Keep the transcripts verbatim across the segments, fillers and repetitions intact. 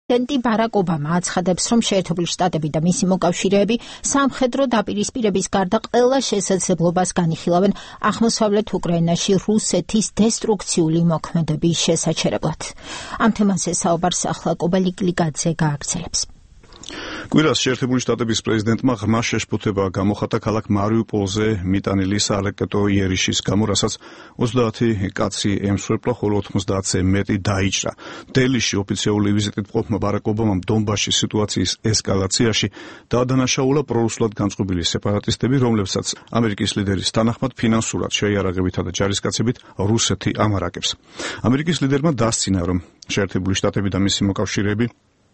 პრეზიდენტი ბარაკ ობამა აცხადებს, რომ შეერთებული შტატები და მისი მოკავშირეები სამხედრო დაპირისპირების გარდა ყველა შესაძლებლობას განიხილავენ აღმოსავლეთ უკრაინაში რუსეთის დესტრუქციული მოქმედების შესაჩერებლად. ამ თემაზე საუბარს ახლა კობალი გლიკაძე გააგრძელებს. კვირას შეერთებული შტატების პრეზიდენტმა ღრმა შეშფოთება გამოხატა ქალაქ მარიუპოლზე მიტანილი სარაკეტო იერიშის გამო, რასაც ოცდაათი კაცი ემსხვერპლა, ხოლო ოცდაათზე მეტი დაიჭრა. დელიში ოფიციალური ვიზიტით მყოფმა ბარაკ ობამამ დონბასის სიტუაციის ესკალაციაში დაადანაშაულა პრორუსულად განწყობილი სეპარატისტები, რომლებსაც ამერიკის ლიდერის თანახმად ფინანსურად შეიარაღებითა და ჯარისკაცებით რუსეთი ამარაგებს. ამერიკის ლიდერმა დასცინა, რომ შეერთებული შტატები და მისი მოკავშირეები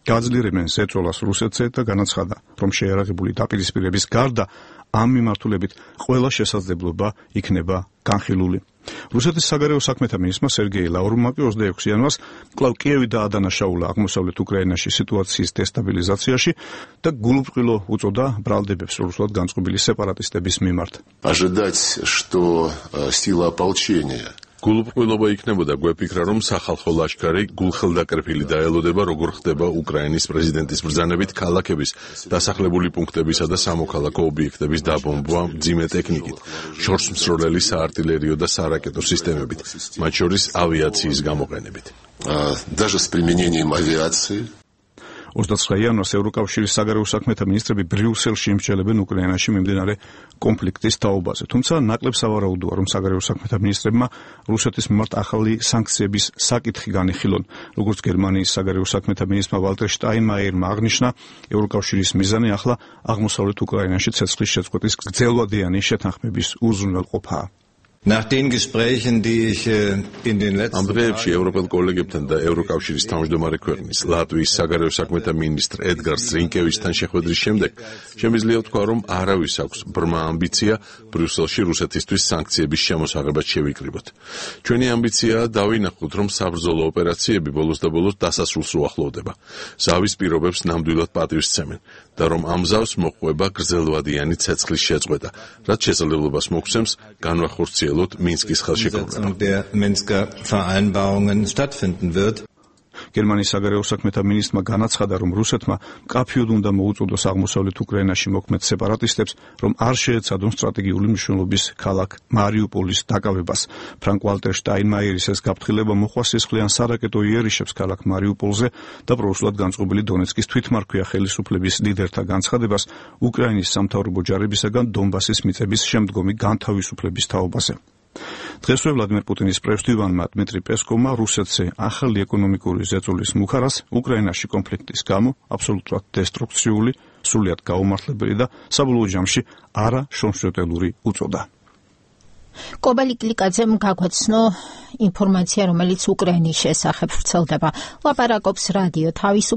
გაძლიერებენ ზეწოლას რუსეთზე და განაცხადა, რომ შეიარაღებული დაპირისპირების გარდა ამ მიმართულებით ყველა შესაძლებლობა იქნება განხილული. რუსეთის საგარეო საქმეთა მინისტრმა სერგეი ლავროვმა ოცდაექვსი იანვარს კვლავ კიევი დაადანაშაულა აღმოსავლეთ უკრაინაში სიტუაციის დესტაბილიზაციაში და გულუბრყვილო უწოდა ბრალდებებს რუსულად განწყობილი სეპარატისტების მიმართ. Ожидать, что сила ополчения გულუბრყვილობა იქნებოდა გვეფიქრა, რომ სახალხო ლაშქარი გულხელდაკრეფილი დაელოდება, როგორ ხდება უკრაინის პრეზიდენტის ბრძანებით ქალაქების, დასახლებული პუნქტებისა და სამოქალაქო ობიექტების დაბომბვა მძიმე ტექნიკით, შორს მსროლელი საარტილერიო და სარაკეტო სისტემებით, მათ შორის ავიაციის გამოყენებით. Даже с применением авиации. ოცდაცხრა იანვარს ევროკავშირის საგარეო საქმეთა მინისტრები ბრიუსელში იმსჯელებენ უკრაინაში მიმდინარე კონფლიქტის თაობაზე. თუმცა ნაკლებ სავარაუდოა, რომ საგარეო საქმეთა მინისტრებმა რუსეთის მიმართ ახალი სანქციების საკითხი განიხილონ. როგორც გერმანიის საგარეო საქმეთა მინისტრმა ვალტერ შტაინმაიერმა აღნიშნა, ევროკავშირის მიზანი ახლა აღმოსავლეთ უკრაინაში ცეცხლის შეწყვეტის გრძელვადიანი შეთანხმების უზრუნველყოფაა. Nach den Gesprächen, die ich in den letzten ამ დღეებში ევროპელ კოლეგებთან და ევროკავშირის თავმჯდომარე ქვეყნის ლატვიის საგარეო საქმეთა მინისტრ ედგარ სტრინკევიჩთან შეხვედრის შემდეგ შემიძლია ვთქვა, რომ არავის აქვს ბრმა ამბიცია ბრიუსელში რუსეთისთვის სანქციების შემოსაღებად შევიკრიბოთ. ჩვენი ამბიციაა დავინახოთ, რომ საბრძოლო ოპერაციები ბოლოს და ბოლოს დასასრულს უახლოვდება. ზავის პირობებს ნამდვილად პატივს სცემენ და რომ ამ ზავს მოყვება გრძელვადიანი ცეცხლის შეწყვეტა, რაც შესაძლებლობას მოგცემს განვახორციელოთ Minskis Umsetzung der Minsker Vereinbarungen stattfinden wird. გერმანიის საგარეო საქმეთა მინისტრმა განაცხადა, რომ რუსეთმა მკაფიოდ უნდა მოუწოდოს აღმოსავლეთ უკრაინაში მოქმედ სეპარატისტებს, რომ არ შეეცადონ სტრატეგიული მნიშვნელობის ქალაქ მარიუპოლის დაკავებას. ფრანკ ვალტერ შტაინმაიერის ეს გაფრთხილება მოხვა სისხლიან სარაკეტო იერიშებს ქალაქ მარიუპოლზე და პრორუსულად განწყობილი დონეცკის თვითმარქვია ხელისუფლების ლიდერთა განცხადებას უკრაინის სამთავრობო ჯარებისაგან დონბასის მიწების შემდგომი განთავისუფლების თაობაზე. დღესვე ვლადიმერ პუტინის პრევსტივანმა დმიტრი პესკოვმა რუსეთზე ახალი ეკონომიკური ზეწოლის მუხარას უკრაინაში კონფლიქტის გამო აბსოლუტურად დესტრუქციული, სრულიად გაუმართლებელი და საბოლოო ჯამში არაშრომშროტელური უწოდა. კობალი გლიკაძემ გაგვაცნო ინფორმაცია, რომელიც უკრაინის შესახებ ვრცელდება. ლაპარაკობს რადიო თავისუფლება